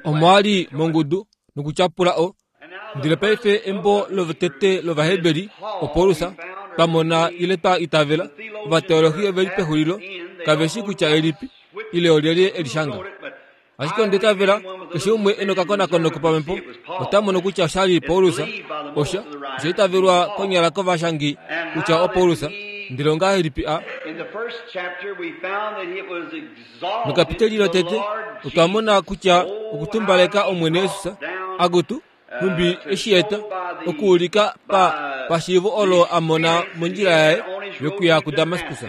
Omo a li mongudu nokutyapula o Ndele paife embo lotete lOvaheberi, oPaulus, twa mona ile twa itavela, ovateolohi ove li pexulilo, kave shii kutya elipi, ile olyelye e li shanga. Ashike onda itavela keshe umwe e nokakonakono kopamhepo ota mono kutya osha li Paulus, osha, osha itavelwa konyala kovashangi kutya oPaulus, ndele ongahelipi a. Mekapiteli lotete otwa mona kutya okutumbaleka Omwene Jesus, akutu, nhumbi eshi eta okuulika pa pashiivo olo a mona mondjila yaye yokuya kuDamaskus.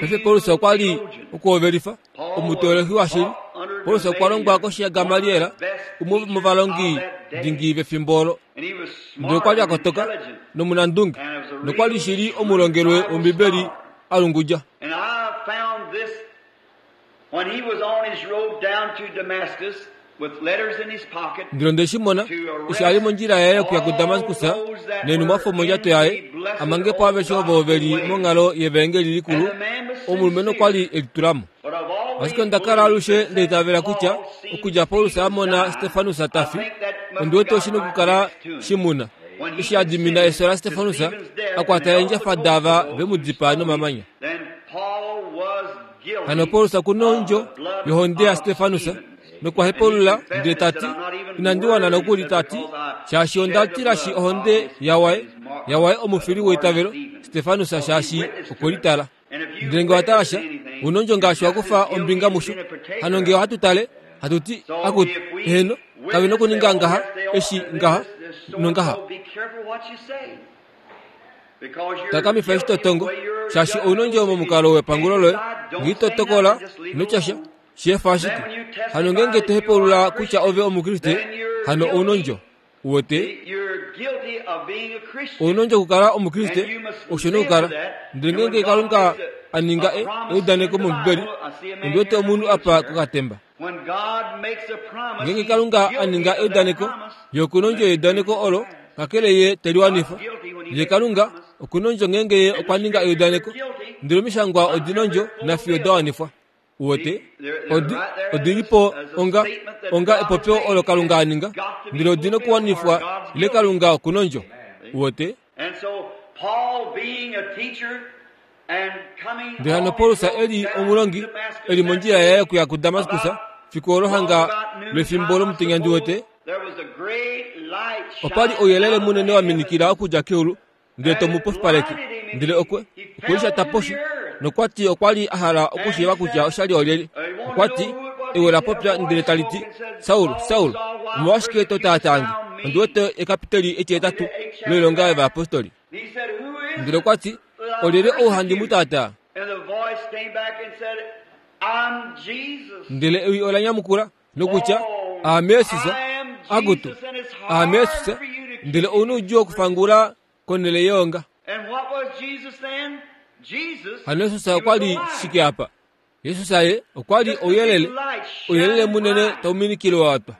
Paife Paulus okwa li okuhovelifa omuteolohi washili. Paulus okwa longwa koshi yaGamaliel, umwe womovalongi dingi vefimbo olo. Ndele okwa li a kotoka nomunandunge nokwa li shili omulongelwe wOmbibeli a lungudja. Ndele onde shi mona eshi a li mondjila yaye yokuya kuDamaskus neenhumwafo mondjato yaye, a mange po aveshe ovo ve li monghalo yevaengeli likulu, omulumenhu okwa li e litula mo. Ashike onda kala alushe nda itavela kutya okudja Paulus a mona Stefanus ta fi, ondi wete oshi nokukala shi mu na. Eshi a dimina efyo laStefanus, a kwata eendjafa daava ve mu dipaa nomamanya. Hano Paulus oku na ondjo yohonde yaStefanus nokwa hepaulula ndele ta ti, Inandi wana nokuli, ta ti, shaashi onda tilashi ohonde yawaye, yawaye omufili weitavelo, Stefanus, shaashi okwe litala. Ndele nge wa tala sha, u na ondjo ngaashi wa kufa ombinga musho. Hano nge ohatu tale, hatu ti, Akutu, eheno, kave nokuninga ngaha, eshi, ngaha, nongaha. Takamifa eshi to tongo, shaashi ou na ondjo momukalo wepangulo loye. Nge ito tokola, ino tya sha, shi efa ashike. Hano ngeenge to hepaulula kutya ove Omukriste, hano ou na ondjo. Uwete? Ou na ondjo okukala Omukriste, osho nokukala. Ndele ngeenge Kalunga a ninga e, eudaneko mOmbibeli, ondi wete omunhu apa kokatemba. Ngeenge Kalunga a ninga eudaneko, ye oku na ondjo yeudaneko olo, kakele ye te li wanifa. Ye Kalunga oku na ondjo ngeenge ye okwa ninga eudaneko, ndele omishangwa odi na ondjo nafiyo da wanifwa. Uwete, odi, odi li po onga, onga epopyo olo Kalunga a ninga, ndele odi nokuwanifwa ile Kalunga oku na ondjo. Uwete? Ndele hano Paulus e li omulongi, e li mondjila yaye yokuya kuDamaskus, fiku olo hanga lwefimbo lomutenya ndi wete, opa li ouyelele munene wa minikila okudja keulu ndele to mu pofipaleke. Ndele okwe okwe lishata poshi nokwa ti okwa li a hala okushiiva kutya osha li olyelye. Okwa ti, Ewe la popya ndele tali ti, Saul, Saul, omolwashike to taataa nge? Ondi wete ekapiteli etihetatu loilonga yovayapostoli. Ndele okwa ti, Olyelye ou handi mu taataa? Ndele ewi ola nyamukula, nokutya aame Jesus, akutu, aame Jesus, ndele ou noudjuu okufangula konhele yeonga. Hano Jesus okwa li shike apa? Jesus ye okwa li ouyelele, ouyelele munene tau minikile wa twa.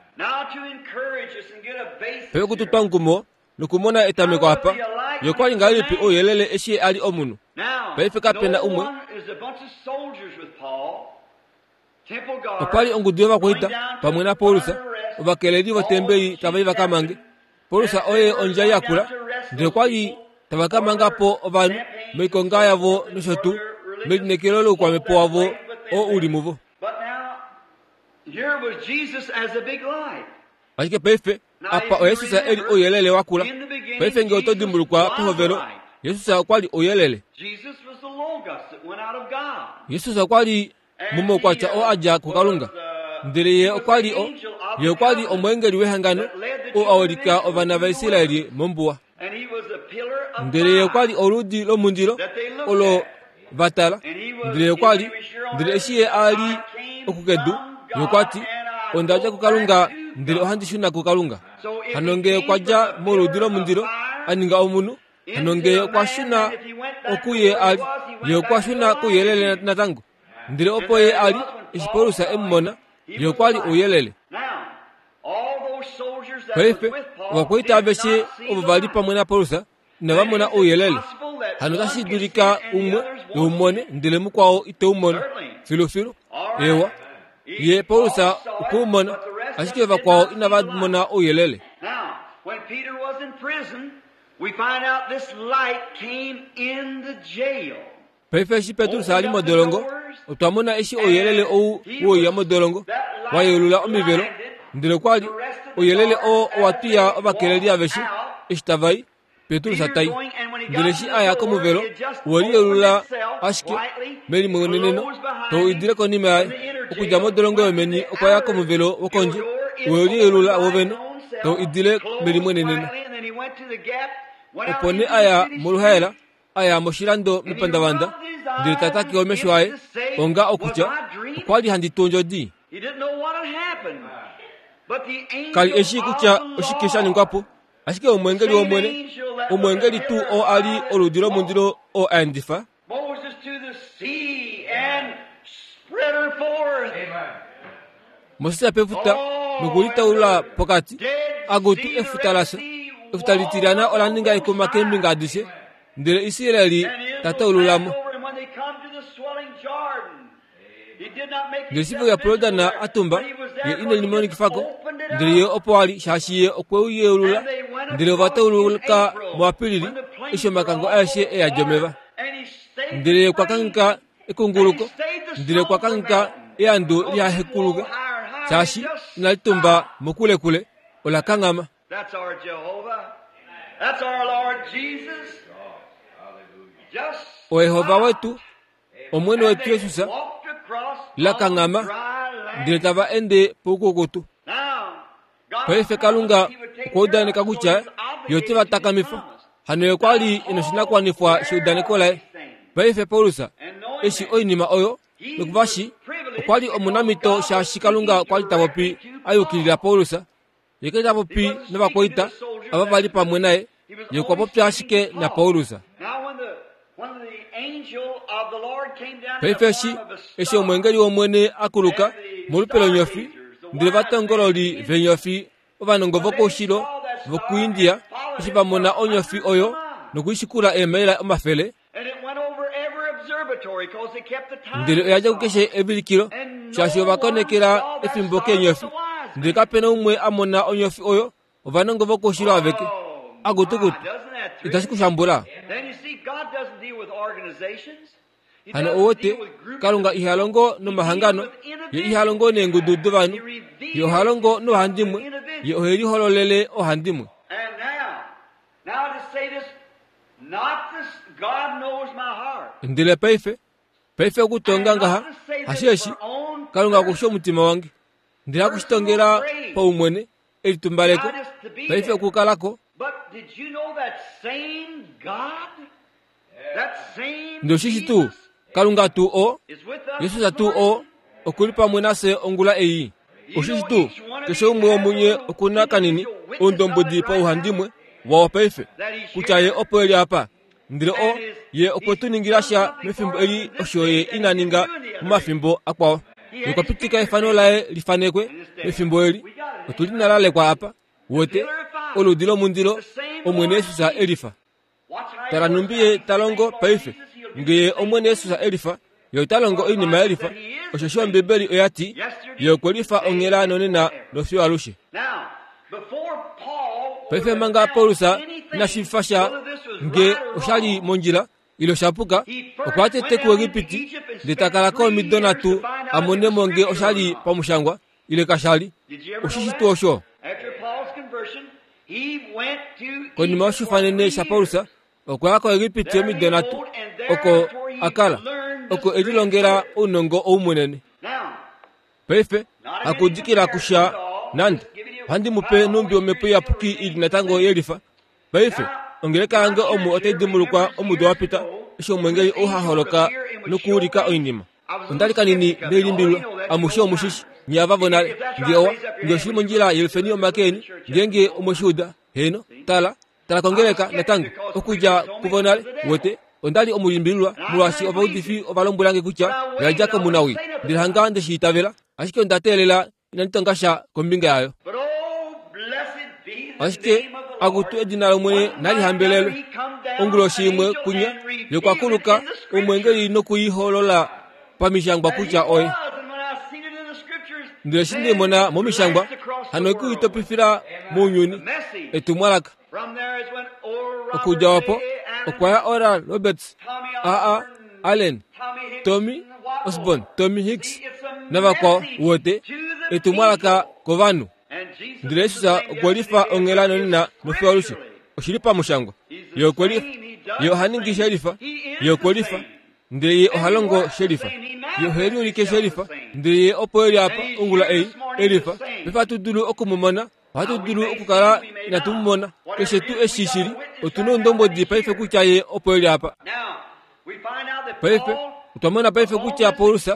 Paife okututwa omukumo nokumona etameko apa, ye okwa li ngahelipi ouyelele eshi a li omunhu? Paife kape na umwe Opa li ongudu yovakwaita pamwe naPaulus, ovakeleli votembeli tava i va ka mange. Paulus oye ondjai ya kula, ndele okwa li tava ka manga po ovanhu moikonga yavo nosho tuu melineekelo loukwamhepo wavo oo u li muvo. Ashike paife apa oJesus e li ouyelele wa kula. Paife nge oto dimbulukwa pehovelo, Jesus okwa li ouyelele. Jesus okwa li momaukwatya oo a dja kuKalunga. Ndele ye okwa li o, ye okwa li omweengeli wehangano oo a ulika ovana vaIsraeli mombuwa. Ndele ye okwa li oludi lomundilo olo va tala. Ndele ye okwa li, ndele eshi ye a li okukedu, ye okwa ti, Onda dja kuKalunga, ndele ohandi shuna kuKalunga. Hano nge okwa dja moludi lomundilo, a ninga omunhu, hano nge okwa shuna oku ye a li, ye okwa shuna kouyelele natango. Ndele opo ye a li, eshi Paulus e mu mona, ye okwa li ouyelele. Paife, ovakwaita aveshe ovo va li pamwe naPaulus inava mona ouyelele. Hano otashi dulika umwe e u mone ndele mukwao ite u mono. Filufilu. Ewa. Ye Paulus okwe u mona, ashike vakwao inava mona ouyelele. Paife eshi Petrus a li modolongo, otwa mona eshi ouyelele ou wouya modolongo wa yeulula omivelo, ndele okwa li ouyelele oo owa twiya ovakeleli aveshe eshi tava i. Petrus ta i. Ndele eshi a ya komuvelo, owe liyelula ashike melimweneneno tau idile konima yaye. Okudja modolongo yomeni okwa ya komuvelo wokondje, owe liyelula wovene tau idile melimweneneno. Opo nee a ya moluhaela, a ya moshilando mepandavanda, ndele ta take omesho aye, onga okutya, Okwa li handi tu ondjodi. Ka li e shii kutya oshike sha ningwa po. Ashike omweengeli wOmwene, omweengeli tuu oo a li oludi lomundilo oo a endifa Moses pefuta nokulitaulula pokati, akutu efuta lafya, efuta litilyana ola ninga ekuma keembinga adishe, ndele Israel ta taulula mo. Ndele eshi ve uya puJordan a tumba, ye ine limonikifa ko, ndele ye opo a li, shaashi ye okwe u yeulula. Ndele ova tauluka muApilili, eshi omakango aeshe e yadi omeva. Ndele ye okwa kangheka ekunguluko, ndele okwa kangheka eandu lihahekuluke, shaashi inali tumba mokulekule, ola kanghama. OYehova wetu Omwene wetu Jesus la kanghama ndele tava ende poukukutu. Paife Kalunga okwa udaneka kutya ye ote va takamifa. Hano ye okwa li e noshinakuwanifwa sheudaneko laye. Paife Paulus eshi oinima oyo nokuva shi okwa li omunamhito shaashi Kalunga okwa li ta popi a yukilila Paulus. Ye ka li ta popi novakwaita ava va li pamwe naye, ye okwa popya ashike naPaulus. Paife eshi, eshi omweengeli wOmwene a kuluka molupe lonyofi, ndele ovatongololi veenyofi ovanongo vokoushilo vokuIndia eshi va mona onyofi oyo nokuishikula eemaila omafele, Ndele oya dja kukeshe evilikilo, shaashi ova konekela efimbo keenyofi. Ndele kape na umwe a mona onyofi oyo, ovanongo vokoushilo aveke. Akutukutu, itashi ku shambula? Hano ou wete, Kalunga iha longo nomahangano, ye iha longo neengudu dovanhu, ye oha longo noohandimwe, ye ohe lihololele oohandimwe. Ndele paife, paife okutonga ngaha, hasheeshi, Kalunga oku shi omutima wange. Ndele haku shi tongela paumwene, elitumbaleko, paife okukala ko. Ndele oshishi tuu, Kalunga tuu oo, Jesus tuu oo, oku li pamwe nafye ongula ei. Oshishi tuu, keshe umwe womunye oku na kanini oundombwedi pauhandimwe wao paife, kutya Ye opo e li apa. Ndele o, Ye okwe tu ningila sha mefimbo eli osho Ye ina ninga momafimbo akwao. Ye okwa pitika efano laye li fanekwe mefimbo eli. Otu li na lalekwa apa. Wete, oludi lomundilo, Omwene Jesus e lifa. Tala nhumbi ye ta longo paife. Nge ye Omwene Jesus e lifa, ye ota longo oinima ye lifa, osheshi Ombibeli oya ti, Ye okwe lifa onghela nonena nofiyo alushe. Paife manga Paulus ina shiivifa sha nge osha li mondjila ile osha puka, okwa ya tete kuEgipiti ndele ta kala ko omido nhatu a mone mo nge osha li pamushangwa ile kasha li. Oshishi tuu osho? Konima yoshifanene shaPaulus, okwa ya koEgipiti omido nhatu, oko a kala, oko e lilongela ounongo ou munene. Paife, hakudikila kusha nande. Ohandi mu pe nhumbi Omhepo Iyapuki i li natango yelifa. Paife, ongeleka yange omu otai dimbulukwa omudo wa pita, eshi omwengeli ou ha holoka nokuulika oinima. Onda li kanini ndelimbililwa, amushe omu shi shi, nye ava vonale. Nge owa, nge oshi li mondjila yelufeni omake eni, ngeenge omwe shi uda. Heeno, tala, tala kongeleka natango, okudja kuvonale, wete. Onda li omulimbililwa, molwaashi ovaudifi ova lombwela nge kutya oya dja komunawii, ndele hanga nde shi itavela, ashike onda teelela inandi tonga sha kombinga yayo. Ashike akutu edina lOmwene nali hambelelwe. Onguloshi imwe kunya ye okwa kuluka omwengeli noku i holola pamishangwa kutya oye. Ndele eshi nde mona momishangwa, hano oku i topifila mounyuni, etumwalaka. Okudja opo okwa ya Oral Roberts, A.A. Allen, Tommy Osborn, Tommy Hicks navakwao, uwete, etumwalaka kovanhu. Ndele Jesus okwe lifa onghela nonena nofiyo alushe. Oshi li pamushangwa. Ye okwe lifa. Ye oha ningi shelifa. Ye okwe lifa. Ndele ye oha longo shelifa. Ye ohe liulike shelifa. Ndele ye opo e li apa ongula ei, elifa. Paife ohatu dulu oku mu mona. Ohatu dulu okukala inatu mu mona. Keshe tuu eshi shi li, otu noundombwedi paife kutya ye opo e li apa. Paife, otwa mona paife kutya Paulus,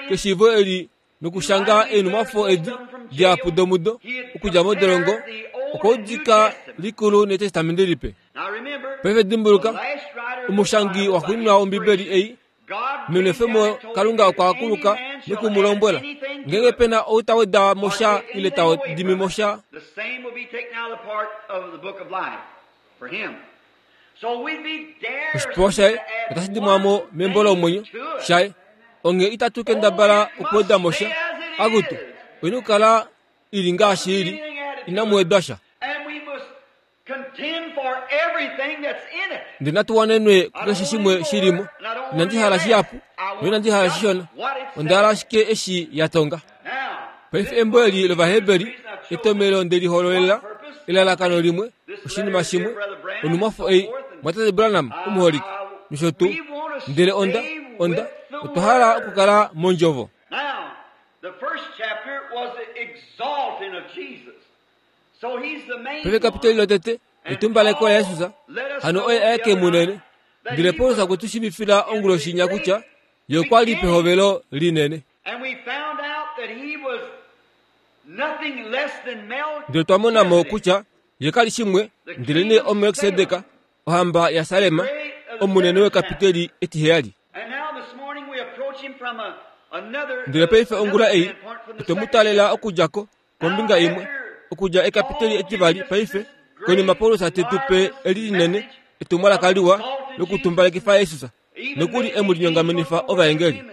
keshiivo eli nokushanga eenhumwafo edi dihapu domudo okudja modolongo, okwa udika likulu nEtestamenti Lipe. Paife dimbuluka, omushangi waxuuninwa wOmbibeli ei, menwefemo Kalunga okwa kuluka noku mu lombwela, ngeenge pe na ou ta weda mo sha ile ta dimi mo sha, Oshipewa shaye otashi dimwa mo membo lomwenyo shaye. Onghee itatu kendabala okuweda mo sha. Akutu, oina okukala i li ngaashi i li, inamu wedwa sha. Ndele natu wanenwe kukeshe shimwe shi li mo. Inandi hala shihapu, noinandi hala shishona. Onda hala ashike eshi ya tonga. Paife embo eli lOvaheberi, etomhelo nde li hololela, elalakano limwe, oshinima shimwe, onhumwafo ei, Mwatate Branham omuholike, nosho tuu. Ndele onda, onda, otwa hala okukala mOndjovo. Paife kapitoli lotete, etumbaleko laJesus, hano oye aeke munene. Ndele Paulus okwe tu shiivifila onguloshi inya kutya ye okwa li pehovelo linene. Ndele otwa mona mo kutya ye ka li shimwe ndelenee oMelkisedek, ohamba yaSalem, omunene wekapiteli etiheyali. Ndele paife ongula ei otwe mu taalela okudja ko kombinga imwe, okudja ekapiteli etivali paife, konima Paulus te tu pe eli linene, etumwalaka liwa lokutumbalekifa Jesus. nokuli e mu linyongamenifa ovaengeli.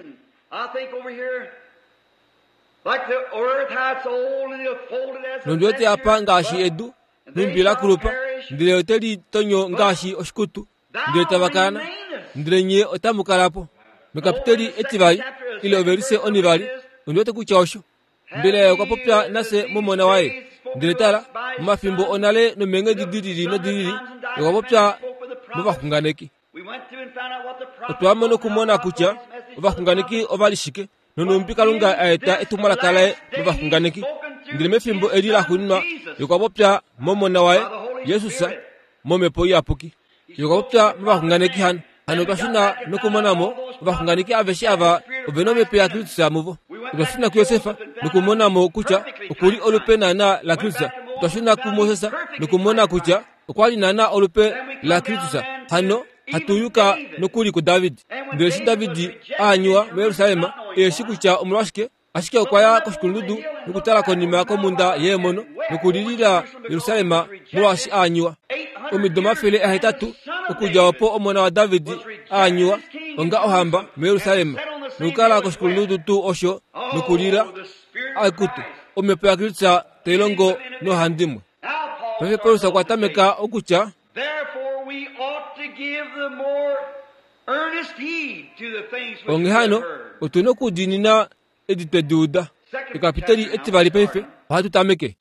Nondi wete apa ngaashi edu, nhumbi la kulupa, ndele ote li tonyo ngaashi oshikutu, ndele tava kana, ndele nye otamu kala po. Mekapiteli etivali, ile ovelise onivali, ondi wete kutya osho. Mbela ye okwa popya nafye momona waye? Ndele tala, momafimbo onale nomeenghedi di lili nodi lili, ye okwa popya movaxunganeki. Otwa mona okumona kutya ovaxunganeki ova li shike nonhumbi Kalunga a eta etumwalaka laye movaxunganeki. Ndele mefimbo eli laxuuninwa ye okwa popya momona waye, Jesus, momhepo iyapuki. Ye okwa popya movaxunganeki hano. Hano otwa shuna nokumona mo ovaxunganeki aveshe ava ove na omhepo yaKristus muvo. Otwa shuna kuJosef nokumona mo kutya oku li olupe naanaa laKristus. Otwa shuna kuMoses nokumona kutya okwa li naanaa olupe laKristus. Hano hatu yuka nokuli kuDavid. Ndele eshi David a anywa muJerusalem, e shi kutya omolwashike, ashike okwa ya koshikulundudu nokutala konima komhunda yeemono nokulilila Jerusalem molwaashi a anywa. Omido 800 okudja opo omona waDavid a anywa onga ohamba muJerusalem nokukala koshikulundudu tuu osho nokulila, akutu, omhepo yaKristus tai longo nohandimwe. Paife Paulus okwa tameka okutya, Onghee hano, otu na okudiinina edi twe di uda. Ekapiteli etivali paife ohatu tameke.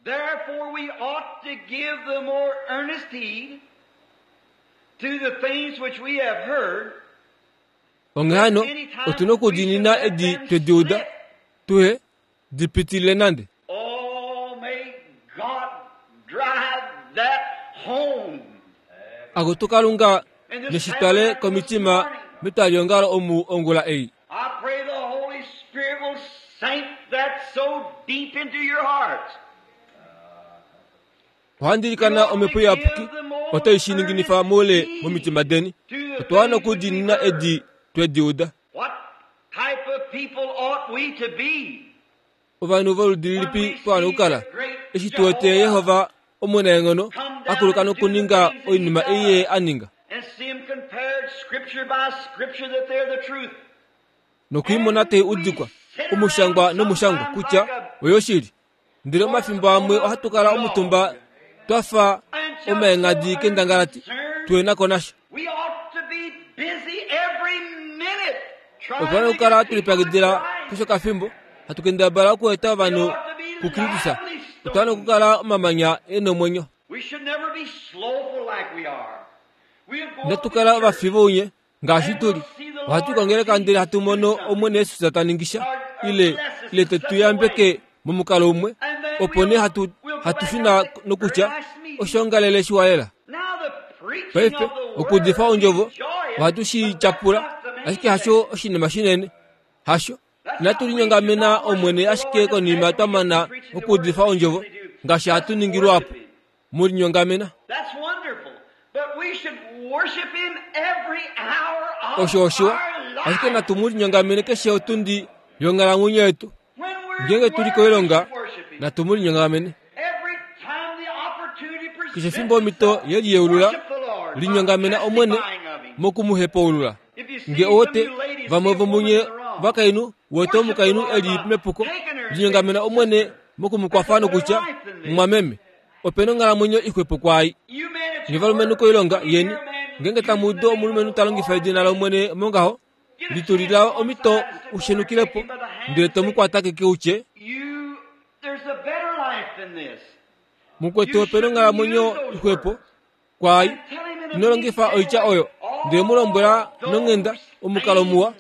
Onghee hano, otu na okudiinina edi twe di uda, tuhe di pitilile nande. Oh, may God drive that home. Akutu Kalunga, neshi twale komitima metwaliongalo omu ongula ei. I pray the Holy Spirit will sink that so deep into your hearts. Ohandi ilikana Omhepo Iyapuki otai shi ninginifa moule momitima deni. Otwa wana okudiinina edi twe di uda. What type of people ought we to be? Ovanhu voludi lilipi twa wana okukala eshi tu wete Jehova omunaenghono a kuluka nokuninga oinima ei ye a ninga? And see them compared scripture by scripture that they're the truth. Nokuimona tai udikwa Omushangwa nomushangwa kutya oyoshili. Ndele omafimbo amwe ohatu kala omutumba twa fa omaengadi kendangalati, tuhe na ko nasha. Otwa okukala tu lipyakidila keshe okafimbo hatu kendabala okueta ovanhu kuKristus. Otwa okukala omamanya e nomwenyo. Inatu kala ovafi vounye ngaashi tu li. Ohatu kongeleka ndele hatu mono Omwene Jesus ta ningi sha ile ile te tu yambeke momukalo umwe, opo nee hatu hatu shuna nokutya oshoongalele shiwa lela. Paife okuudifa ondjovo ohatu shi tyapula, ashike hasho oshinima shinene. Hasho. Inatu linyongamena Omwene ashike konima twa mana okuudifa ondjovo ngaashi hatu ningi luhapu. Mu linyongamena. Osho oshiwa, ashike natu mu linyongamene keshe otundi yonghalamwenyo yetu. Ngeenge tu li koilonga, natu mu linyongamene. Keshe efimbo omhito ye liyeulula, linyongamena Omwene moku mu hepaulula. Nge owote vamwe vomunye vakainhu wete omukainhu e li mepuko, linyongamena Omwene moku mu kwafa nokutya, Mumwameme, ope na onghalamwenyo ixwepo kwaai. Nye valumenhu koilonga yeni, ngeenge tamu udu omulumenhu ta longifa edina lOmwene mongaho, litulila omhito u shenukile po, ndele to mu kwata keke u tye, Mukwetu ope na onghalamwenyo ixwepo kwaai. Ino longifa oitya oyo, ndele mu lombwela nonghenda, omukalo muwa,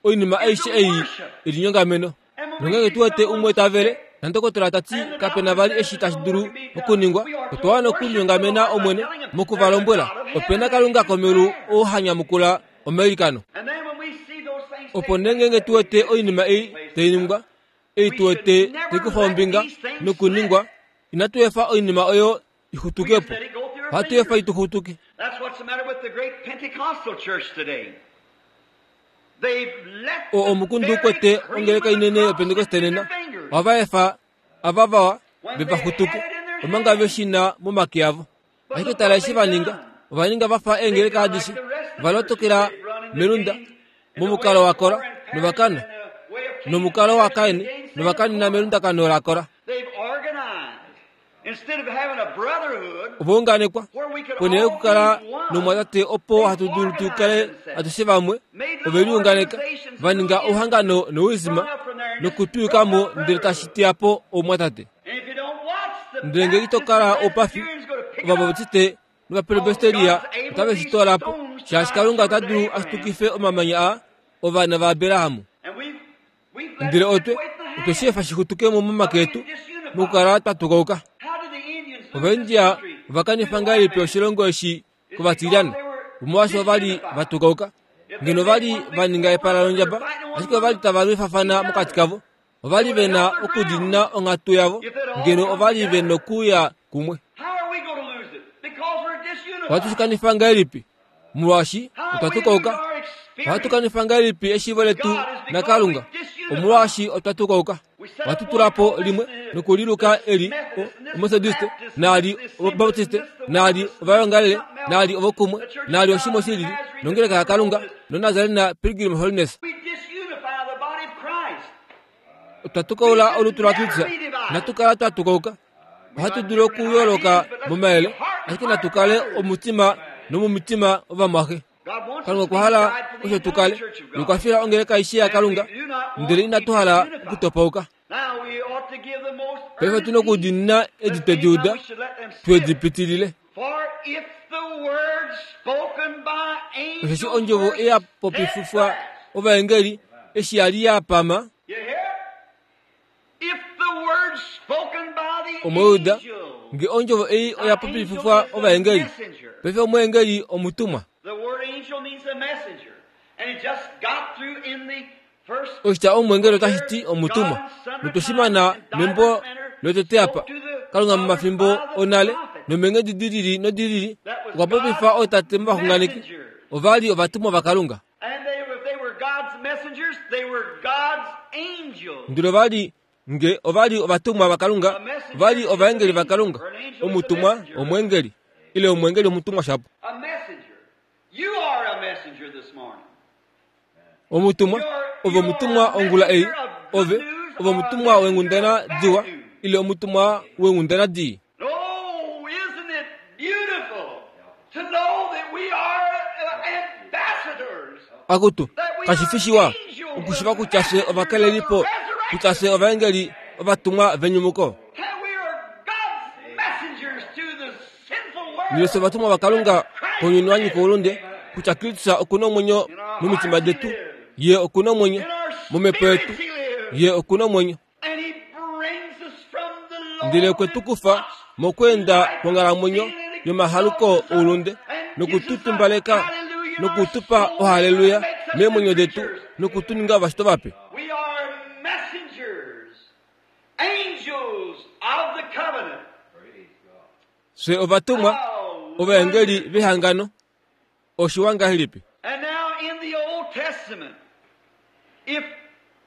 oinima aishe ei i linyongameno. Nongeenge tu wete umwe ta vele, nandokotola ta ti kape na vali eshi tashi dulu okuningwa, otwa wana okulinyongamena Omwene moku va lombwela, Ope na Kalunga komeulu ou ha nyamukula omailikano. Opo nee ngeenge tu wete oinima ei tai ningwa, ei tu wete tai kufa ombinga nokuningwa, inatu efa oinima oyo i xutuke po. Ohatu efa i tu xutuke. O omukundu ukwete ongeleka inene yopentekoste nena. Ohava efa ava vawa ve va xutuke, omanga ve shi na momake avo. Ashike tala eshi va ninga. Ova ninga va fa eengeleka adishe. Ova lotokela melunda, momukalo waKora, nova kana. Nomukalo waKain, nova kanina melundakano laKora. Ova unganekwa ponhele yokukala nomumwatate opo hatu dulu tu kale atushe vamwe, ove liunganeka va ninga ouhangano nouisma nokutwiyuka mo ndele tashi teya po oumwatate. Ndele ngee ito kala oupafi, Ovabautiste nOvapresbiteria otave shi toola po, shaashi Kalunga ota dulu a shitukife omamanya aa ovana vaAbraham. Ndele otwe, otwe shi efa shi xutuke mo momake etu, mokukala twa tukauka. Ovaindia ova kanifa ngahelipi oshilongo eshi kovatilyana? Omolwaashi ova li va tukauka. Ngeno ova li va ninga epala londjaba, ashike ova li tava lwifafana mokati kavo. Ova li ve na okudiinina onghatu yavo, ngeno ova li ve nokuya kumwe. Ohatu shi kanifa ngahelipi? Molwaashi otwa tukauka. Ohatu kanifa ngahelipi eshiivo letu naKalunga? Omolwaashi otwa tukauka. Ohatu tula po limwe nokuliluka eli Ometodiste, naali Obaptiste, naali Ovaongalele, naali ovokumwe, naali oshimwe shi lili, nongeleka yaKalunga, noNazarena Pilgrim Holiness. Otwa tukaula olutu laKristus. Inatu kala twa tukauka. Ohatu dulu okuyooloka momayele, ashike natu kale omutima nomomitima ovamwaxe. Kalunga okwa hala osho tu kale nokwa fila ongeleka aishe yaKalunga, ndele inatu hala okutopauka. Paife otu na okudiinina edi twe di uda, twe di pitilile. Osheshi ondjovo ei ya popififwa ovaengeli eshi ya li ya pama, Omwe uda nge ondjovo ei oya popififwa ovaengeli. Paife omweengeli omutumwa. Oshitya omweengeli otashi ti omutumwa. Notwe shi mana membo lotete apa. Kalunga momafimbo onale nomeenghedi di lili nodi lili okwa popifa ootate movaxunganeki. Ova li ovatumwa vaKalunga. Ndele ova li nge ova li ovatumwa vaKalunga, ova li ovaengeli vaKalunga. Omutumwa omweengeli ile omweengeli omutumwa shapo. Omutumwa, ove omutumwa ongula ei. Ove, ove omutumwa weenghundana diwa ile omutumwa weenghundana dii? Oh, isn't it beautiful to know that we are ambassadors? Akutu, kashi fi shiwa okushiva kutya fye ovakalelipo, kutya fye ovaengeli ovatumwa venyumuko. That we are God's messengers to the sinful Ndele world. fye ovatumwa vaKalunga kounyuni wa nyika oulunde, kutya Kristus oku na omwenyo momitima detu, ye oku na omwenyo In our momhepo yetu, spirits he lives. ye oku na omwenyo. And he brings us from the Ndele Lord okwe tu kufa mokweenda kwonghalamwenyo yomahaluko oulunde noku tu tumbaleka noku tu pa ohaleluya meemwenyo detu noku tu ninga ovashitwa vape. We are messengers, angels of the covenant. Fye ovatumwa ovaengeli vehangano. Oshiwa ngahelipi? And now in the Old Testament, if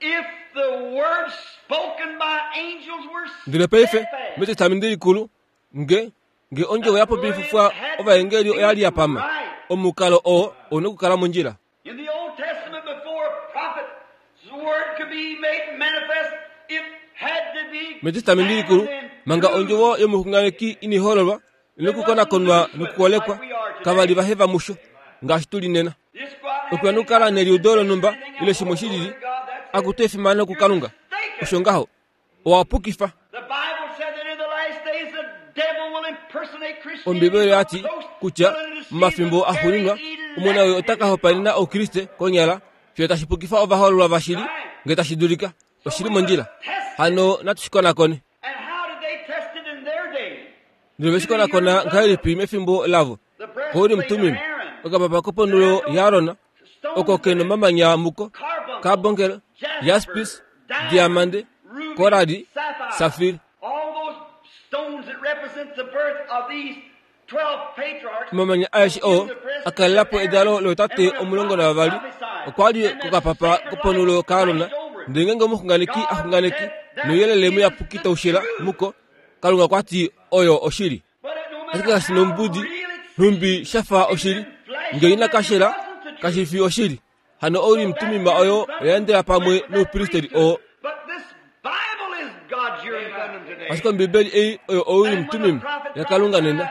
if the words spoken by angels were Ndele paife steadfast, metestamende likulu nge nge ondjovo ya popifufwa ovaengeli oya li ya pama omukalo oo ouna okukala mondjila. in the Old Testament before a prophet's word could be made manifest, it had to be Metestamende likulu examined and manga proved. ondjovo yomuxunganeki inihololwa inokukonakonwa nokukolekwa kava li vaheva musho ngaashi tuli nena. Just go out and Okuya nokukala neliudo lonhumba ile shimwe shilili akutu efimano kuKalunga. Osho ngaho owa pukifa. The Bible said that in the last days the devil will impersonate Christianity. Ombibeli oya ti kutya momafimbo axuuninwa omona oyo ota ka hopaenena oukriste konyala fiyo tashi pukifa ovahoololwa vashili ngee tashi dulika. Oshili mondjila. Hano natu shi konakone. And how did they test it in their day? Ndele ve shi konakona ngahelipi mefimbo lavo? The Kouri breastplate of mutumim Aaron, okapapa koponhulo yaAron oko ke nomamanya muko carbuncle, kabonkelo jasper, jaspis diamond, diamande ruby, korali sapphire. safiri. All those stones that represent the birth of these 12 patriarchs Omamanya aeshe oo a kalela po edalo lootate 12 okwa li kokapapa koponhulo kaAron ndele ngeenge omuxunganeki a xunganeki nouyelele muyapuki tau shila muko, Kalunga okwa ti oyo oshili. But it, no matter Ashike kashi nombudi how real it nhumbi sha fa oshili, ngee ina kashela kashi fi oshili. Hano Ourim Tumim oyo oya endela pamwe noupristeri oo. But this Bible is God's Urim Thummim today. Ashike Ombibeli ei oyo Ourim Tumim yaKalunga nena.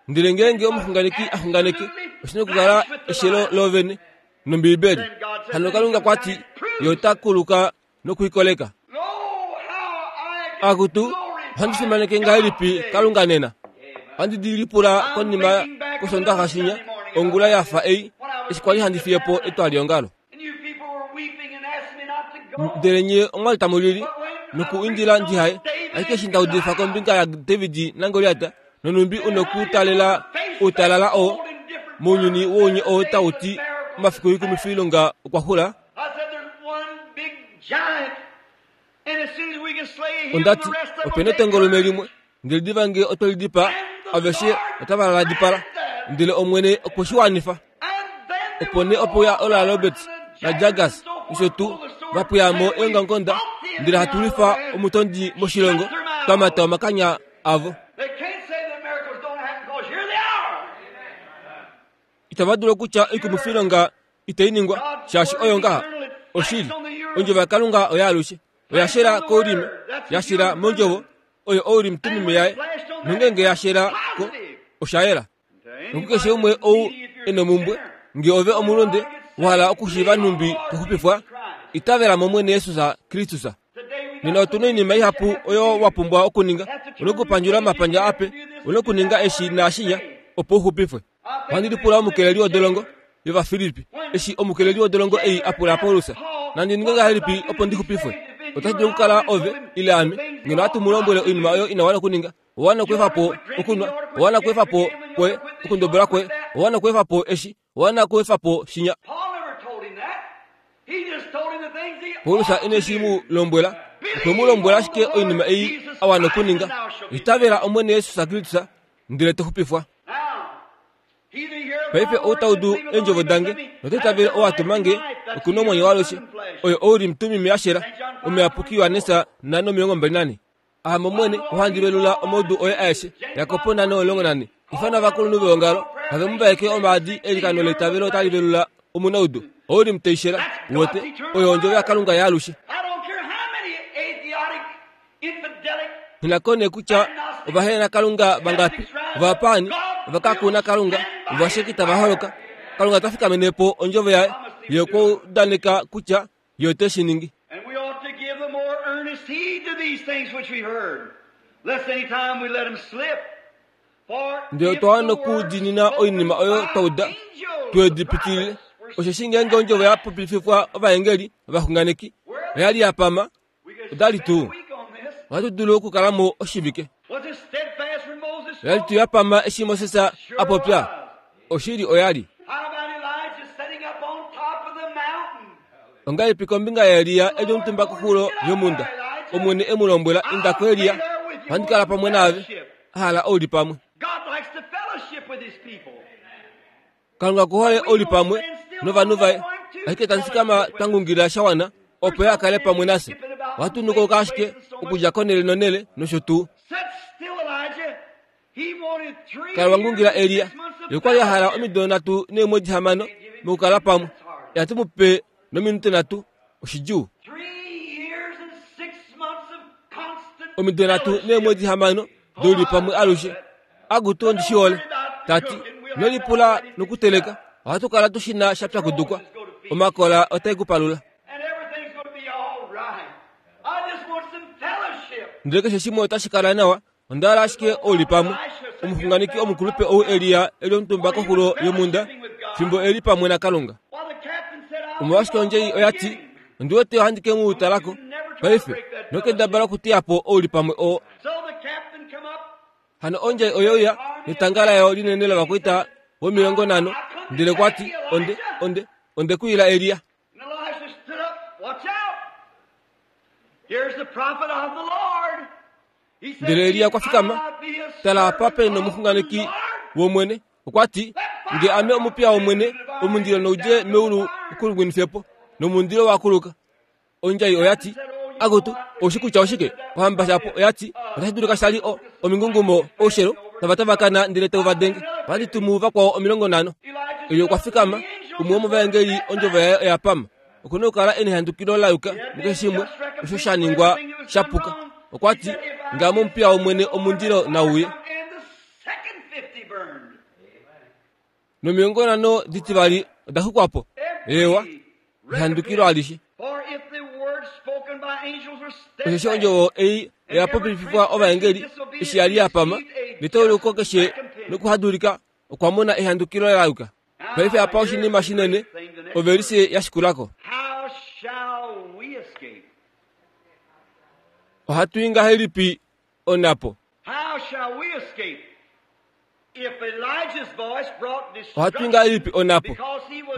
Ndele ngeenge omuxunganeki a xunganeke, oshina okukala eshelo loovene nOmbibeli. Hano Kalunga okwa ti ye ota kuluka nokuikoleka. Oh, how I Akutu, ohandi fimaneke ngahelipi Kalunga nena? Ohandi di lipula konima kOsondaxa shinya, ongula ya fa ei, eshi kwali handi fiye po etwaliongalo. And you people were weeping and asking me not to go. Ndele nye omwali tamu lili noku indila ndihaye, ashike eshi nda udifa kombinga yaDavid naGoliat, nonhumbi u nokutalela outalala oo mounyuni wounye oo tau ti omafiku oikumwifilonga okwa xula, I said there's one big giant, and as soon as we can slay him, ondati the rest of them opena will take etongolume courage. limwe ndele diva ngee otwe li dipaa aveshe otava ladipala ndele Omwene okwe shi wanifa. And then there Opo nee were ope uya Oral Roberts and the naJaggers Jaggers and so forth, nosho tuu pulled the sword, va pweya mo and we eongamukonda fought the ndele enemy hatu out of lwifa the land, omutondi moshilongo shut their mouths. twa mata omakanya avo. They can't say that miracles don't happen because here they are. Itava dulu okutya oikumwifilonga itai ningwa shaashi oyo ngaha oshili. Ondjovo yaKalunga oya alushe oya shela koulime, ya shela mondjovo oyo Ourim Tumim yaye, nongeenge ya shela ko osha yela. Nokukeshe umwe ou e nomumbwe, ngee ove omulunde wa hala okushiiva nhumbi to xupifwa, itavela mOmwene Jesus Kristus. Nena otu na oinima ihapu oyo wa pumbwa okuninga. Una okupandjula omapandja ape, una okuninga eshi naashinya opo u xupifwe. Ohandi lipula omukeleli wodolongo yOvafilippi eshi omukeleli wodolongo ei a pula Paulus, nandi ninge ngahelipi opo ndi xupifwe? Otashi dulu okukala ove ile ame ngeno ohatu mu lombwele oinima oyo ina wana okuninga. Owa wana okweefa po okunwa, owa wana okweefa po kwoye okundobola kwoye, owa wana okweefa po eshi, owa wana okweefa po shinya. Paul never told him that. He just told him the things he Paulus ought to ine shi do. mu lombwela, okwe mu lombwela ashike oinima ei a wana okuninga. Itavela Omwene Jesus Kristus ndele to xupifwa. Now, he that heareth Paife my ou words ta and udu believeth on eendjovo him that dange sent me note hath itavele ou a tuma nge everlasting life. That's oku na the omwenyo waalushe. Urim flesh. Oyo Ourim Tumim ya shela omuyapuki Johannes 5:24. Ame Omwene ohandi velula omaudu oye aeshe. Jakob 5:14. Ifana ovakulunhu veongalo have mu vaeke omaadi eilikano leitavelo otali velula omunaudu. Ourim teishela wote oyo ondjovo yaKalunga yaalushe. I don't care how many Nghi na kutya ovahenakalunga vangapi, ovapaani, ovakakunakalunga, ovasheki tava holoka. Kalunga ota fikamene po ondjovo yaye. Ye okwa udaneka kutya Ye ote shi ningi. Ndele otwa wana okudiinina oinima oyo twa uda, twe di pitilile. Osheshi ngeenge ondjovo ya popififwa ovaengeli ovaxunganeki oya li ya pama, oda li tuu ohatu dulu okukala mo oshivike. Oya li tuu ya pama eshi Moses a popya? Oshili oya li. Ongahelipi kombinga yaElia e li omutumba koxulo yomhunda? Omwene e mu lombwela, Inda ko Elia, ohandi kala pamwe naave. A hala oulipamwe. Kalunga ku hole oulipamwe novanhu vaye, ashike itatu fikama twa ngungila sha wana opo ye a kale pamwe nafye. Ohatu nukauka ashike okudja konhele nonhele nosho tuu. Kala wa ngungila Elia. Ye okwa li a hala omido nhatu neemwedi hamano mokukala pamwe. Ihatu mu pe nominute nhatu. Oshidjuu. Omido nhatu neemwedi hamano doulipamwe alushe. Akutu ondi shi hole. Ta ti, Ino lipula nokuteleka. Ohatu kala tu shi na sha pyakudukwa. Omakola otae ku palula. Ndele keshe shimwe otashi kala nawa. Onda hala ashike oulipamwe. Omuxunganeki omukulupe ou Elia e li omutumba koxulo yomhunda fimbo e li pamwe naKalunga. Omolwashike ondjei oya ti, Ondi wete ohandi ke mu tala ko paife nokendabala okuteya po oulipamwe oo. Hano ondjai oye uya netanga layo linene lovakwaita vomilongo nhano, ndele kwa ti, Onde, onde, onde ku ila Elia. Ndele Elia okwa fikama, tala apa pe nomuxunganeki wOmwene, okwa ti, Nge ame omupiya wOmwene, omundilo noudje meulu u ku lungwinife po. Nomundilo wa kuluka. Ondjai oya ti, Akutu, oushi kutya oshike? Ohamba shapo oya ti, Otashi dulika sha li o, omingungumo, oushelo, tava tavakana ndele tau va denge. Ohandi tumu vakwao 50. Elia okwa fikama, umwe womovaengeli, ondjovo yaye oya pama. Oku na okukala e nehandukilo la yuka mukeshe shimwe osho sha ningwa sha puka. Okwa ti, Ngame omupiya wOmwene omundilo nau uye. Nomilongo nhano ditivali oda xukwa po. Eewa, ehandukilo alishe. Osheshi ondjovo ei oya popififwa ovaengeli eshi ya li ya pama, netauluko keshe nokuhadulika okwa mona ehandukilo la yuka. Paife apa oshinima shinene, ovelise ya shikula ko. Ohatu i ngahelipi onhapo? Ohatu i ngahelipi onhapo?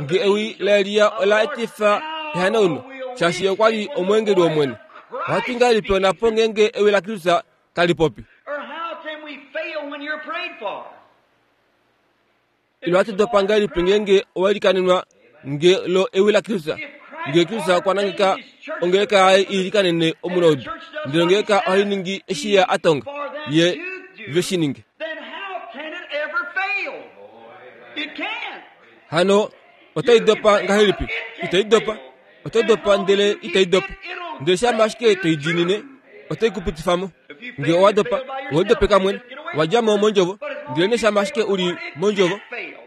Nge ewi laElia ola etifa ehanauno, shaashi ye okwa li omweengeli wOmwene. Ohatu i ngahelipi onhapo ngeenge ewi laKristus tali popi? Ile ohatu dopa ngahelipi ngeenge owa ilikanenwa nge lo ewi laKristus? Nge Kristus okwa nangeka ongeleka yaye i ilikanene omunaudu, ndele ongeleka ohai ningi eshi ye a tonga ye ve shi ninge. Hano otai dopa ngahelipi? Itai dopa. Oto dopa ndele itai dopa. Ndele shama ashike toi diinine, otai ku pitifa mo. Nge owa dopa, owe lidopeka mwene. Wa dja mo mondjovo, ndele nee shama ashike u li mondjovo,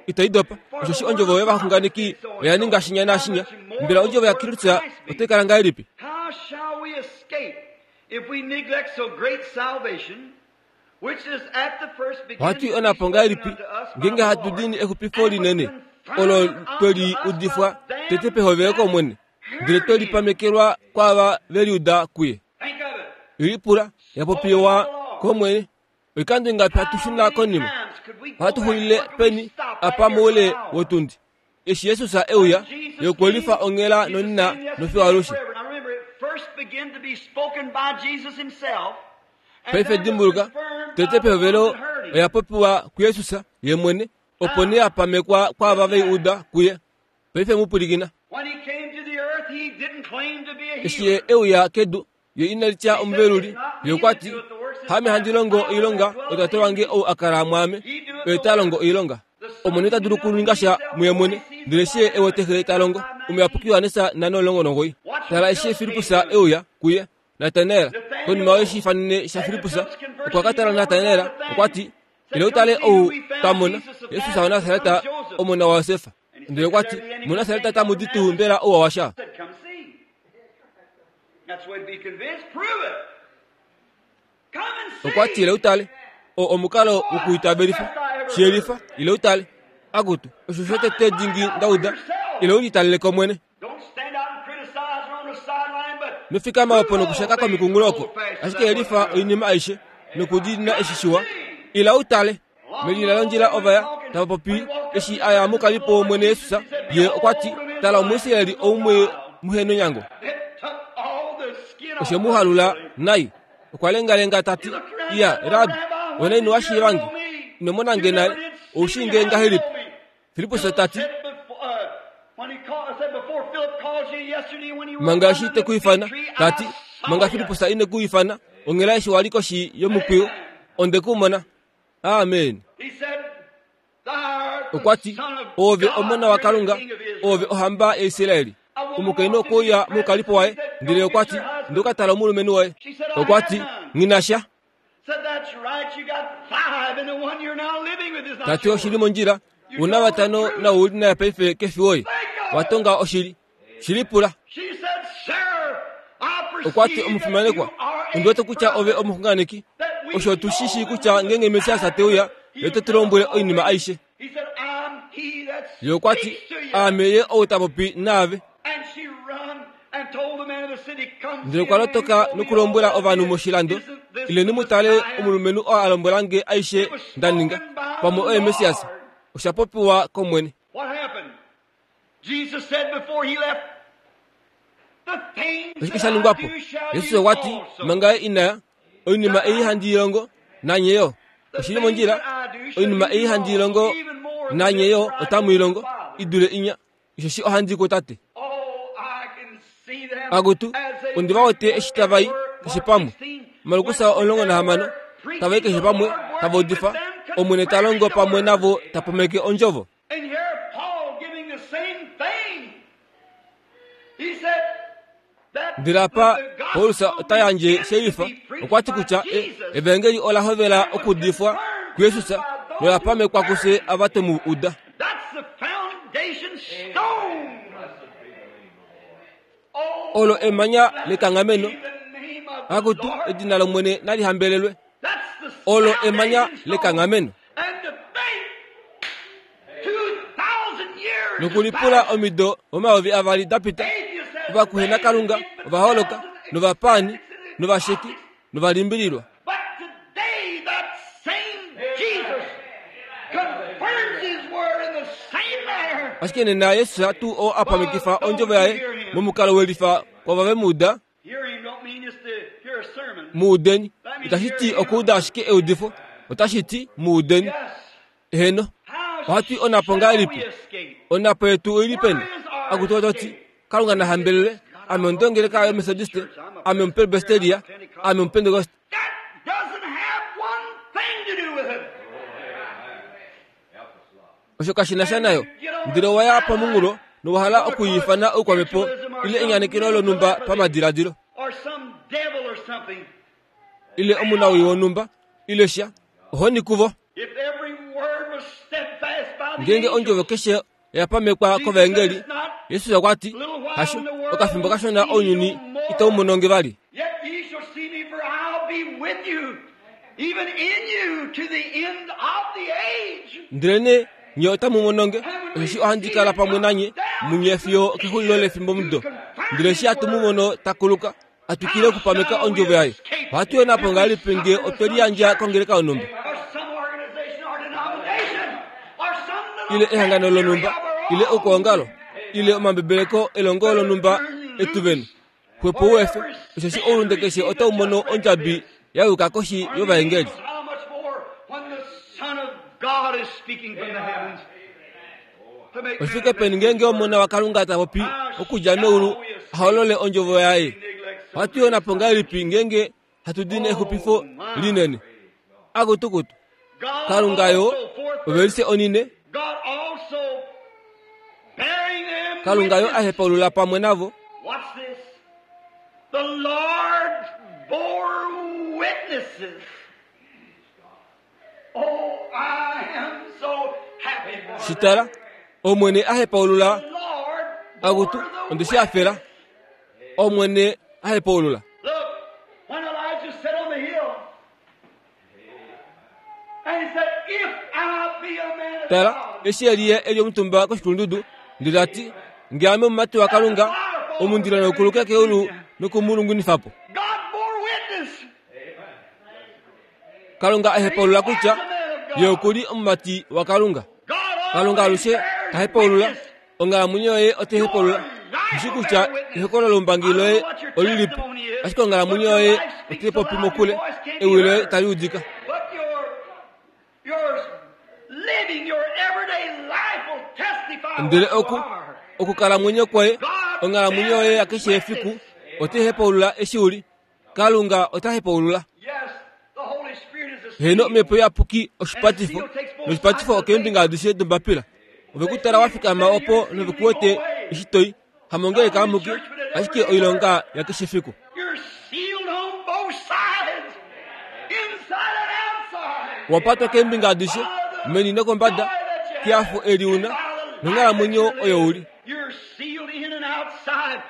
itai dopa. Osheshi ondjovo yovaxunganeki oya ninga shinya naashinya. Mbela ondjovo yaKristus otai kala ngahelipi? Ohatu i onhapo ngahelipi ngeenge hatu dini exupifo linene olo twe li udifwa tete pehovelo kOmwene, ndele twe li pamekelwa kwaava ve li uda kuye? Lipula ya popiwa kOmwene. Oikando ingapi hatu shuna konima? Ohatu xulile peni apa moule wotundi? Eshi Jesus e uya, ye okwe lifa onghela nonina nofiyo alushe. Paife dimbuluka, tete pehovelo oya popiwa kuJesus ye mwene, opo nee ya pamekwa kwaava ve i uda kuye. Paife mu pwilikina. Eshi ye e uya kedu, ye ina litya omuveluli, ye okwa ti, Haame handi longo oilonga, oTate wange ou a kala mwaame, oye ta longo oilonga. Omwene ita dulu okuninga sha muye mwene, ndele eshi ye e wete Xe ta longo. Omuyapuki Johannes 5:19. Tala eshi Filippus e uya kuye, Natanael. Konima yoshiifanene shaFilippus, okwa ka tala Natanael, okwa ti, Ile u tale ou twa mona, Jesus waNasaret, omona waJosef. Ndele okwa ti, MuNasaret tamu di tuu mbela ouwa washa? Okwa ti, Ile u tale. Oo omukalo wokuitavelifa. Shi yelifa, ile u tale. Akutu, osho shotete dingi nda uda. Ile u litalele ko mwene. Nofikama opo nokushaka komikunghulo oko, ashike yelifa oinima aishe nokudiinina eshi shiwa. Ila u tale. Melila londjila ova ya tava popi eshi a ya mukalipo wOmwene Jesus, ye okwa ti, Tala Omuisraeli oumwe muhenonyango. Oshe mu halula nai. Okwa lengalenga ta ti, Iya, Rabi, wena ino wa shiiva nge? Ino mona nge nale? Ou shii nge ngahelipi? Filippus ta ti, Manga eshi te ku ifana, ta ti, manga Filippus ine ku ifana, onghela eshi wa li koshi yomukwiyu, onde ku mona. Amen. Okwa ti, Oove Omona waKalunga, oove ohamba yaIsraeli. Omukainhu okwe uya moukalipo waye, ndele okwa ti, Ndi ka tala omulumenhu woye. Okwa ti, Nghi na sha. Ta ti oshili mondjila, u na vatano nau u li naye paife ke fi woye. Wa tonga oshili. Shi lipula. Okwa ti, Omufimanekwa, ondi wete kutya ove omuxunganeki. Osho otu shi shii kutya ngeenge Messias te uya, ye ote tu lombwele oinima aishe. Ye okwa ti, Aame ye ou ta popi naave. Ndele okwa lotoka nokulombwela ovanhu moshilando, Ileni mu tale omulumenhu oo a lombwela nge aishe nda ninga, pamwe oye Messias. Osha popiwa kOmwene. Oshike sha ningwa po? Jesus okwa ti, manga ye ina ya, oinima ei handi i longo, nanye yo. Oshi li mondjila, oinima ei handi i longo, nanye yo otamu i longo, i dule inya, osheshi ohandi i kuTate. Akutu, ondi va wete eshi tava i keshe pamwe. Markus 16, tava i keshe pamwe, tava udifa, Omwene ta longo pamwe navo ta pameke ondjovo. And here Paul giving the same thing. He said that Ndele apa Paulus ota yandje shelifa okwa ti kutya e, evangeli ola hovela okuudifwa kuJesus nola pamekwa kufye ava twe mu uda. That's the foundation stone. Oh, Olo emanya lekanghameno. be the name of the Akutu, Lord. edina lOmwene nali hambelelwe. That's the Olo emanya foundation stone. lekanghameno. And to think 2,000 years Nokulipula has passed. omido 2000 da pita, Atheists have ovakuhenakalunga made ova holoka, novapaani, novasheki, novalimbililwa. But today that same Jesus confirms his word in the same manner. Ashike nena Jesus tuu oo a pamekifa ondjovo yaye momukalo welifa kwava ve mu uda, Hear him don't mean just to hear a sermon. mu udeni. Itashi ti okuuda ashike eudifo, otashi ti mu udeni. Yes. Eheno, How ohatu i onapo shall we ngahelipi? escape? Onapo yetu oi li peni? Akutu oto ti, Kalunga na hambelelwe, ame ondongeleka yoMethodiste, ame Omupresbyteria, ame Omupentekoste. That doesn't have one thing to do with it. Osho kashi na sha nayo. Ndele owa ya pomunghulo nowa hala okwiifana oukwamhepo ile enyanekelo lonhumba pamadiladilo, Or some devil or something. ile omunawii wonhumba, ile sha. Ohoni kuvo. If every word was steadfast by the Ngeenge angels, ondjovo keshe oya pamekwa kovaengeli, Jesus okwa ti, Hasho, okafimbo kashona ounyuni itau mono nge vali. Yet ye shall see me, for I'll be with you, even in you, to the end of the age. Ndelenee nye otamu mono nge, osheshi ohandi kala pamwe nanye munye fiyo okexulilo lefimbomudo. Ndele eshi hatu mu mono ta kuluka, a twikile okupameka ondjovo yaye, ohatu yona po ngahelipi nge otwe liyandja kongeleka yonhumba, Or some organization or denomination, or some little ile ehangano lonhumba, ile okwoongalo, ile omambebeleko elongo lonhumba etu vene? Xwepo u efe, osheshi oulunde keshe otau mono ondjabi ya yuka koshi yovaengeli. How much more when the Son of God is speaking from the heavens to make Oshifike peni ngeenge Omona waKalunga ta popi okudja meulu a holole ondjovo yaye? Ohatu yona po ngahelipi ngeenge hatu dini exupifo linene? Akutukutu, God Kalunga yo, also forth ovelise onine, God also bearing them Kalunga yo a witness. hepaulula pamwe navo. Watch this. The Lord's bore witnesses. Oh, I am so happy for Shi tala, Omwene a hepaulula the Lord akutu bore the onde shi hafela. Omwene a hepaulula. Look, when Elijah sat on the hill, and he said, If I be a man of Tala, God, eshi Eliya e li omutumba koshikulundudu, ndele ta ti, Nge ame omumati waKalunga, omundilo naukuluke keulu noku mu lungwinifa po. God bore witness. Kalunga a hepaulula kutya ye oku li omumati waKalunga. God Kalunga always alushe bears ta hepaulula, witness. onghalamwenyo yoye otai hepaulula. Ndishi kutya ehokololo lombangi loye olilipi, ashike onghalamwenyo yoye otai popi mokule, ewi loye tali udika. But your living, your everyday life will testify Ndele what you oku are. okukalamwenyo kwoye, onghalamwenyo yoye yakeshe efiku otai hepaulula eshi u li. Kalunga ota hepaulula. Yes, the Holy Spirit is a Heno seal. omhepo iyapuki oshipatifo, noshipatifo okeembinga adishe dombapila. Ove ku tala wa fikama opo nove ku wete eshi toi, hamongeleka amuke, ashike oilonga yakeshe efiku. You're sealed on both sides, inside and outside. Wa patwa keembinga adishe, meni nokombada, kehafo eli una, nonghalamwenyo oyo u li. You're sealed in and outside.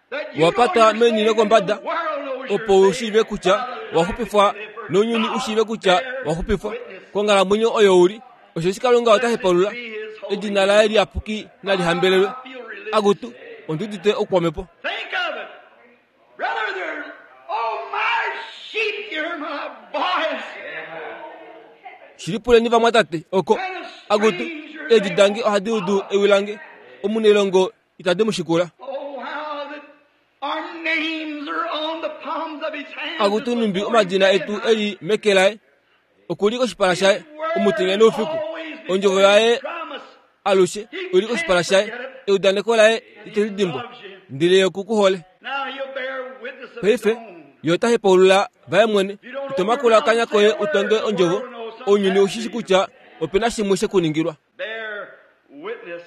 That you Wa know patwa you're meni saved and nokombada, the world knows you're opo u saved. shiive kutya wa xupifwa nounyuni u shiive kutya wa xupifwa konghalamwenyo oyo u li. Osheshi Kalunga ota hepaulula, edina laye liyapuki nali hambelelwe. Akutu, ondi udite oukwamhepo. Think of it. Brother, there, oh, my sheep hear my voice. Shilipuleni vamwatate oko akutu, eedi dange ohadi udu ewi lange, omunailongo itadi mu shikula. Oh, how that our names are on the palms of his hands. Akutu numbi omadina etu e li meke laye, oku li koshipala shaye omutenya noufiku. Ondjovo yaye alushe oi li koshipala shaye, eudaneko laye ite li dimbwa, ndele ye oku ku hole. Now he'll bear witness of his Paife own. ye ota hepaulula vaye mwene, ito makula okanya koye u tonge ondjovo, ounyuni ou shi shi kutya ope na shimwe she ku ningilwa. Bear witness.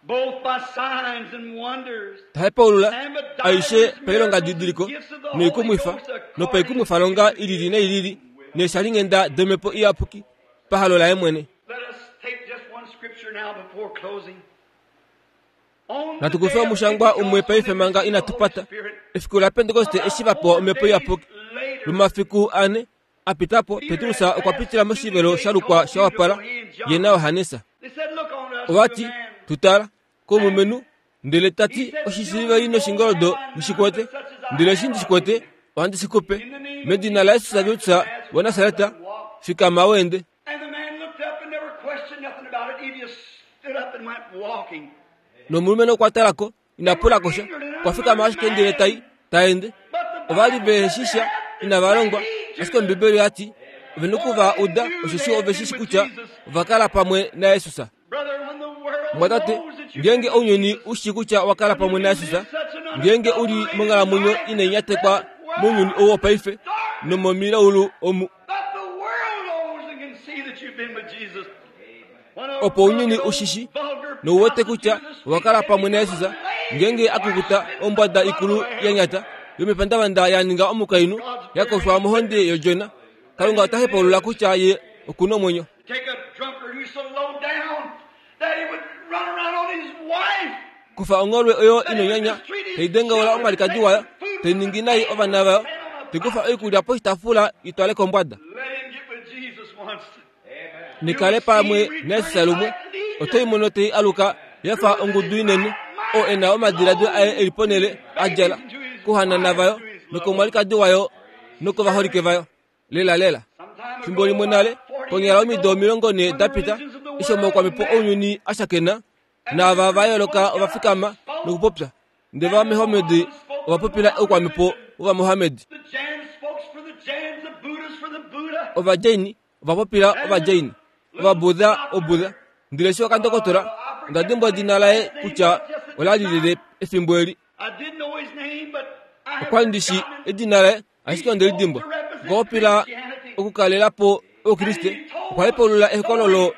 Both by signs and wonders. Ta hepaulula aishe pailongadidiliko noikumwifa nopaikumwifalonga i lili noi lili neeshalinghenda domhepo iyapuki pahalo laye mwene. Let us take just one scripture now before closing. On the Natu kufe day of omushangwa umwe Pentecost, paife when they manga received inatu the Holy pata. Spirit, Efiku laPentekoste eshi va pewa omhepo iyapuki, later, lumafiku ane a pita po, Petrus okwa pitila moshivelo sha lukwa sha wapala, ye naJohannes. they said, "Look on us, Ova ti, good man." tu tala, komulumenhu, ndele ta ti, oshisiliveli noshingoldo ndi shi kwete, ndele eshi ndi shi kwete, ohandi shi ku pe. Medina laJesus Kristus waNasaret, fikama u ende. And the man looked up and never questioned nothing about it. He just stood up and went walking. Nomulumenhu okwa tala ko, ina pula ko sha, okwa fikama ashike ndele tai, ta ende. But the Ova li Bible ve said shi they sha, had to inava longwa, take ashike Ombibeli oya ti, ove na oku va uda osheshi ove shi shi kutya ova kala pamwe naJesus. Brother, when the world Mwatate, knows that you've ngeenge been ounyuni u shii kutya wa kala pamwe naJesus, ngeenge u li monghalamwenyo inai nyatekwa mounyuni ou wopaife nomomilaulu omu, But the world knows and can see that you've been with Jesus. When a opo ounyuni u shi shi vulgar nou wete kutya owa kala pamwe naJesus, ngeenge a kukuta ombwada ikulu ya nyata yomepandavanda ya ninga omukainhu ya koshwa mohonde yodjona, Kalunga ota hepaulula kutya ye oku na omwenyo. Take a drunkard who's so low down that he would run around on his wife. Kufa ongholwe oyo inonyanya, tai dengaula omwalikadi wayo, tai ningi nai ovana vayo, tai kufa oikulya poshitaafula i twale kombwada. Let him get with Jesus once. Nikale pamwe naJesus lumwe, oto i mono tai aluka ya fa ongudu inene, oo e na omadiladilo aye e li ponhele a djala, kouhanana vayo, nokomwalikadi wayo nokovaholike vayo. Lela lela. Sometime Fimbo limwe nale, konyala omido 40 da pita, eshi omaukwamhepo ounyuni a shakena, naava va yooloka ova fikama nokupopya, ndele Ovamohammed ova popila oukwamhepo wOvamohammed. The Jans spokes for the Jans, the Buddhas for the Buddha. Ovajaini ova popila Ovajaini, Ovabudha Obudha. Ndele eshi okandokotola, onda dimbwa edina laye kutya ola li lile efimbo eli. I didn't know his name, but I have Okwa li ndi shii forgotten it. edina laye, ashike onde li dimbwa. Okwa popila okukalela po Oukriste, okwa hepaulula ehokololo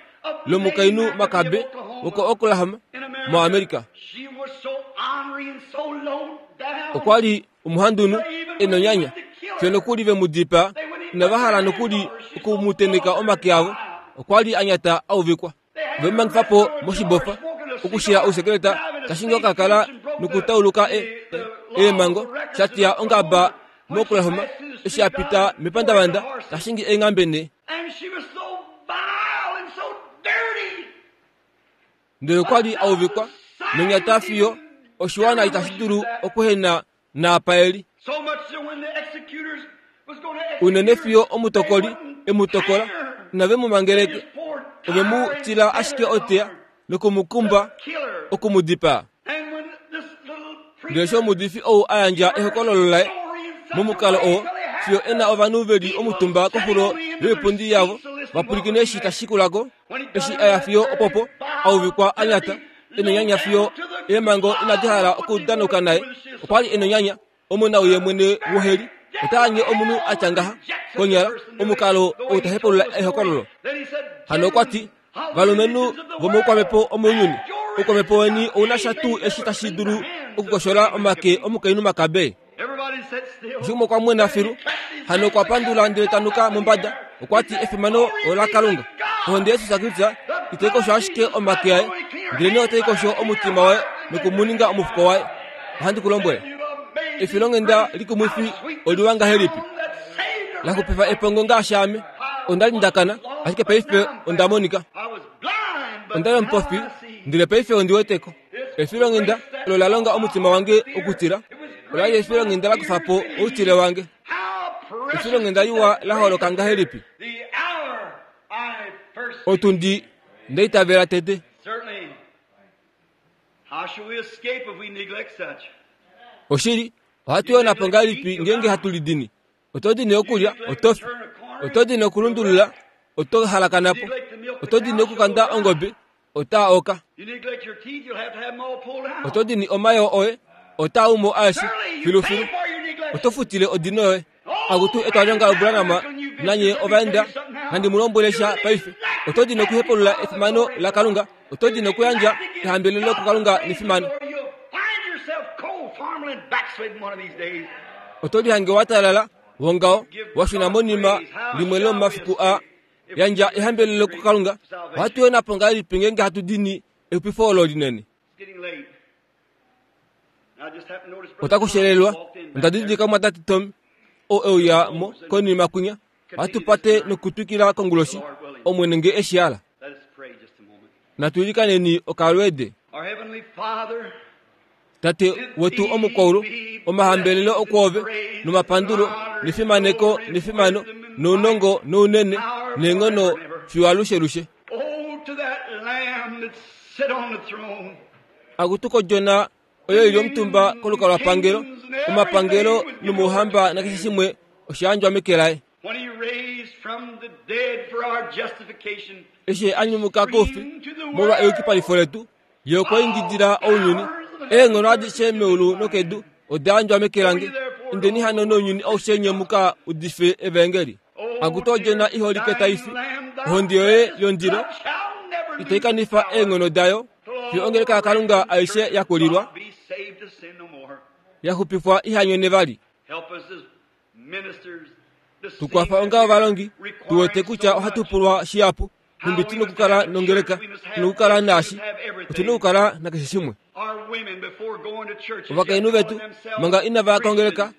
lomukainhu Makabe woko-Oklahoma, In America. moAmerica. She was so ornery and so low down. Okwa li omuhandunhu e nonyanya. Fiyo nokuli ve mu dipaa, inava hala nokuli oku mu tenheka omake avo. Okwa li a nyata a uvikwa. Ve mu mangifa po moshibofa okushila ousekeleta tashi ka kala nokutauluka e, e, eemhango sha teya ongaba moOklahoma eshi a pita mepandavanda ta shingi eenghambe ne. Ndele okwa li a uvikwa nonyata fiyo oshiwana itashi dulu okuhena naapa e li. Unene fiyo omutokoli e mu tokola, inave mu mangeleke, ove mu tila ashike oteya noku mu kumba oku mu dipaa. Ndele eshi omuudifi ou a yandja ehokololo laye momukalo oo, fiyo e na ovanhu ve li omutumba koxulo yoipundi yavo va pwilikine eshi tashi shikula ko, eshi a ya fiyo opopo a uvikwa a nyata, e nonyanya fiyo eemhango inadi hala okudanuka naye. Okwa li e nonyanya, omunawii mwene woheli ota anye omunhu a tya ngaha konyala omukalo ou ta hepulula ehokololo. Hano okwa ti, Valumenhu vomoukwamhepo omounyuni, oukwamhepo weni ou na sha tuu eshi tashi dulu okukoshola omake omukainhu makabe? Oshimwe okwa mwena filu, hano okwa pandula ndele ta nuka mombada. Okwa ti efimano olaKalunga. Ohonde yaJesus Kristus itai kosho ashike omake aye, ndelenee otai kosho omutima waye noku mu ninga omufuko waye. Ohandi ku lombwele, efilonghenda likumwifi oliwa ngahelipi la xupifa epongo ngaashi ame. Onda li nda kana, ashike paife onda monika. Onda li omupofi, ndele paife ondi wete ko. Efilonghenda olo la longa omutima wange okutila, ola li efilonghenda la kufa po outile wange. Efilonghenda liwa la holoka ngahelipi? Otundi nda itavela tete. Oshili, ohatu yona po ngahelipi ngeenge hatu lidini? Oto dini okulya, oto fi. Oto dini okulundulula, oto halakana po. Oto dini okukanda ongobe, otaa oka. Oto dini omayoo oye, otaa umo aeshe filufilu. Oto futile odino yoye. Akutu etwalilonga loBranham nanye ovaenda, nandi mu lombwele sha paife. Oto dini okuhepulula efimano laKalunga, oto dini okuyandja ehambelelo kuKalunga nefimano. Oto lihange wa talala wongaho wa shuna monima limwe lomomafiku aa. Yandja ehambelelo kuKalunga. Ohatu yona po ngahelipi ngeenge hatu dini exupifo olo linene? Otaku shelelwa. Onda didilika omumwatate Tommy oo e uya mo konima kwinya. Ohatu pate nokutwikila konguloshi, Omwene nge e shi hala. Natu ilikaneni okalweede. Tate wetu omukwaulu, omahambelelo okwoove, nomapandulo, nefimaneko, nefimano, nounongo, nounene, neenghono fiyo alushelushe. Akutu kodjona oyo i li omutumba kolukalwapangelo, omapangelo nomouhamba nakeshe shimwe osha yandjwa meke laye. Eshi a nyumuka koufi molwa eyukipalifo letu, Ye okwa ingidila ounyuni, Eenghono adishe meulu nokedu oda yandjwa meke lange. Indeni hano nounyuni aushe nye mu ka udife evaengeli. Akutu odjona i holike tai fi, ohonde yoye yondilo itai kanifa eenghono dayo, fiyo ongeleka yaKalunga aishe ya kulilwa, ya xupifwa iha nyone vali. Tu kwafa onga ovalongi, tu wete kutya ohatu pulwa shihapu, nhumbi tu nokukala nongeleka, tu nokukala naashi, otu nokukala nakeshe shimwe. Ovakainhu vetu, manga inava ya kongeleka,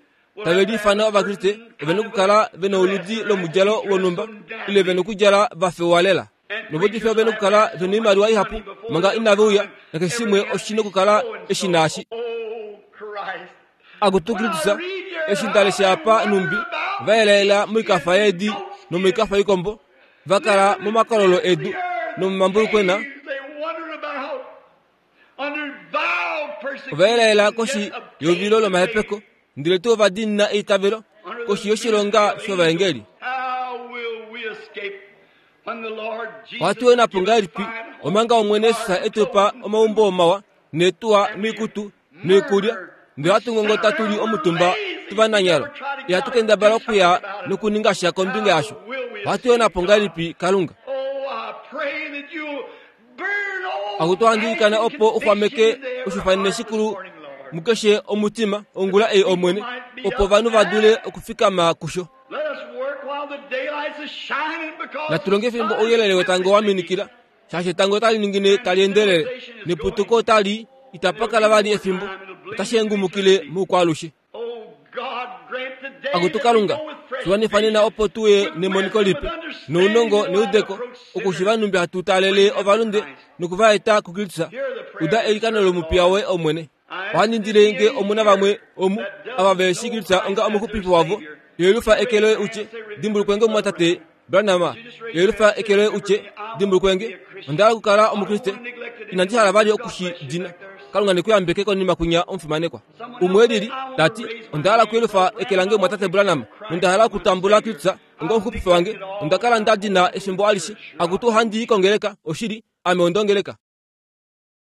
tave liifana Ovakriste, ove nokukala ve nouludi lomudjalo wonhumba, ile ve nokudjala va fewa lela. Novaudifi ove nokukala ve noimaliwa ihapu manga inave uya, nakeshe shimwe oshi nokukala eshi naashi. Akutu Kristus, eshi nda lesha apa nhumbi va yelaela moikafa yeedi nomoikafa yoikombo, va kala momakololo edu nomomambulukwena, ova yelaela koshi yeuvilo lomahepeko, ndele tuu ova diinina eitavelo koshi yoshilonga shovaengeli. Ohatu yona po ngahelipi omanga Omwene Jesus e tu pa omaumbo mawa neetuwa noikutu noikulya, ndele ohatu ngongota tu li omutumba tu va nanyalo. Ihatu kendabala okuya nokuninga sha kombinga yasho. Ohatu yona po ngahelipi Kalunga? Akutu ohandi ilikana opo u xwameke oshifanene shikulu. mukeshe omutima ongula ei Omwene, opo ovanhu va dule okufikama kusho. Natu longe fimbo ouyelele wetango wa minikila, shaashi etango otali ningine tali endelele, neputuko otali itapa kala vali efimbo, otashi hengumukile moukwaalushe. Akutu Kalunga, tu nena opo tu ye nemoniko lipe, nounongo neudeko, okushiva nhumbi hatu taalele ovalunde noku va eta kuKristus. Uda eilikano lomupiya woye, Omwene. Ohandi indile nge omu na vamwe omu ava ve shii Kristus onga omuxupifi wavo, yelufa eke loye u tye, Dimbulukwe nge omumwatate Branham, yelufa eke loye u tye, Dimbulukwe nge, onda hala okukala Omukriste, inandi hala vali oku shi dina. Kalunga ne ku yambeke konima kwinya omufimanekwa. Umwe lili, ta ti, Onda hala okuyelufa eke lange omumwatate Branham, nonda hala okutambula Kristus onga omuxupifi wange. Onda kala nda dina efimbo alishe. Akutu ohandi i kongeleka, oshili, ame onda ongeleka.